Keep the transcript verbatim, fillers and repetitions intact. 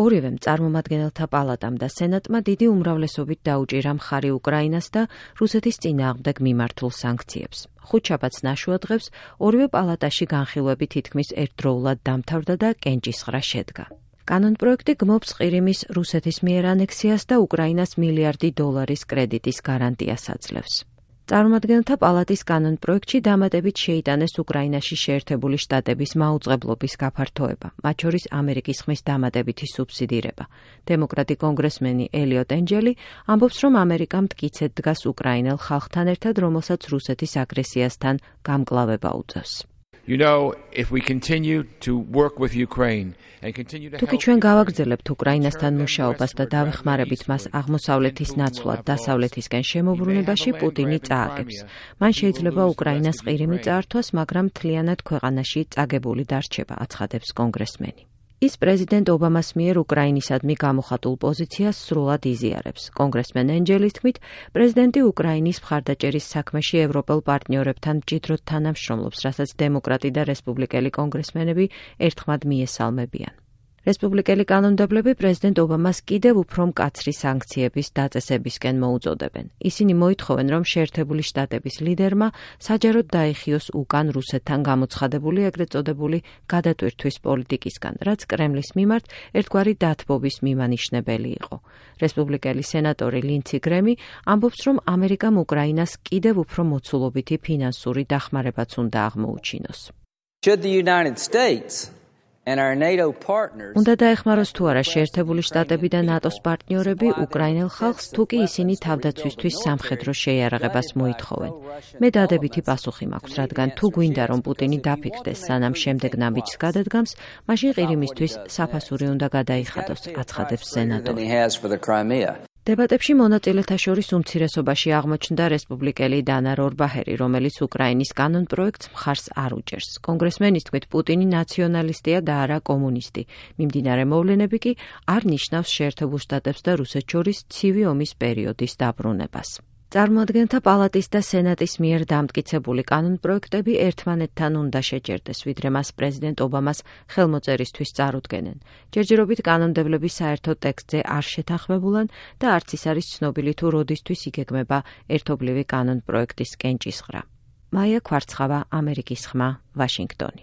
ორივემ წარმომადგენელთა პალატამ და სენატმა დიდი უმრავლესობით დაუჭირა მხარი უკრაინას და რუსეთის წინააღმდეგ მიმართულ სანქციებს. ხუთშაბათს ნაშუა დღეს ორივე პალატაში განხილვები თითქმის ერთდროულად დამთავრდა და კენჭისყრა შედგა. კანონპროექტი გმობს ყირიმის რუსეთის მიერ ანექსიას და უკრაინას მილიარდი დოლარის კრედიტის გარანტიას აძლევს. წარმომადგენელთა პალატის კანონპროექტში დამატებით შეიტანეს უკრაინაში შეერთებული შტატების მაუწყებლობის გაფართოება, მათ შორის ამერიკის ხმის დამატებითი სუბსიდირება. დემოკრატი კონგრესმენი ელიოტ ენჯელი ამბობს, რომ ამერიკა მტკიცედ დგას უკრაინელ ხალხთან ერთად, რომელსაც რუსეთის აგრესიასთან გამკლავება უწევს. You know, if we continue to work with Ukraine and continue to თუკი ჩვენ გავაგრძელებთ უკრაინასთან მუშაობას და დავეხმარებით მას აღმოსავლეთის ნაცვლად დასავლეთისკენ შემოbrunებაში, პუტინი წააგებს. მან შეიძლება უკრაინას ყირიმი წაართვას, მაგრამ მთლიანად ქვეყანაში წაგებული დარჩება, აცხადებს კონგრესმენი. ის პრეზიდენტ ობამას მიერ უკრაინისადმი გამოხატულ პოზიციას სრულად იზიარებს. კონგრესმენ ენჯელის თქმით, პრეზიდენტი უკრაინის მხარდაჭერის საქმეში ევროპელ პარტნიორებთან მჭიდროდ თანამშრომლობს, რასაც დემოკრატი და რესპუბლიკელი კონგრესმენები ერთხმად მიესალმებიან. რესპუბლიკელი კანონმდებლები პრეზიდენტ ობამას კიდევ უფრო მკაცრი სანქციების დაწესებისკენ მოუწოდებენ. ისინი მოითხოვენ, რომ შეერთებული შტატების ლიდერმა საჯაროდ დაიხიოს უკან რუსეთთან გამოცხადებული ეგრეთ წოდებული გადატვირთვის პოლიტიკისგან, რაც კრემლის მიმართ ერთგვარი დათბობის მიმანიშნებელი იყო. რესპუბლიკელი სენატორი ლინცი გრემი ამბობს, რომ ამერიკამ უკრაინას კიდევ უფრო მოცულობითი ფინანსური დახმარებაც უნდა აღმოუჩინოს. Should the United States უნდა დაეხმაროს თუ არა შეერთებული შტატები და ნატოს პარტნიორები უკრაინელ ხალხს, თუ კი ისინი თავდაცვისთვის სამხედრო შეიარაღებას მოითხოვენ. მე დადებითი პასუხი მაქვს, რადგან თუ გვინდა რომ პუტინი დაფიქრდეს, სანამ შემდეგ ნაბიჯს გადადგამს, მაშინ ყირიმისთვის საფასური უნდა გადაიხადოს, აცხადებს სენატორი. დებატებში მონაწილეთა შორის უმცირესობაში აღმოჩნდა რესპუბლიკელი დანა რორბაჰერი, რომელიც უკრაინის კანონპროექტს მხარს არ უჭერს. კონგრესმენის თქმით, პუტინი ნაციონალისტია და არა კომუნისტი. მიმდინარე მოვლენები კი არ ნიშნავს შეერთებულ შტატებს და რუსეთს შორის ცივი ომის პერიოდის დაბრუნებას. წარმოადგენთა პალატის და სენატის მიერ დამტკიცებული კანონპროექტები ერთმანეთთან უნდა შეჯერდეს, ვიდრე მას პრეზიდენტ ობამას ხელმოწერისთვის წარუდგენენ. ჯერჯერობით კანონმდებლები საერთო ტექსტზე არ შეთანხმებულან და არც ის არის ცნობილი თუ როდისთვის იგეგმება ერთობლივი კანონპროექტის კენჭისყრა. მაია ქვარცხავა, ამერიკის ხმა, ვაშინგტონი.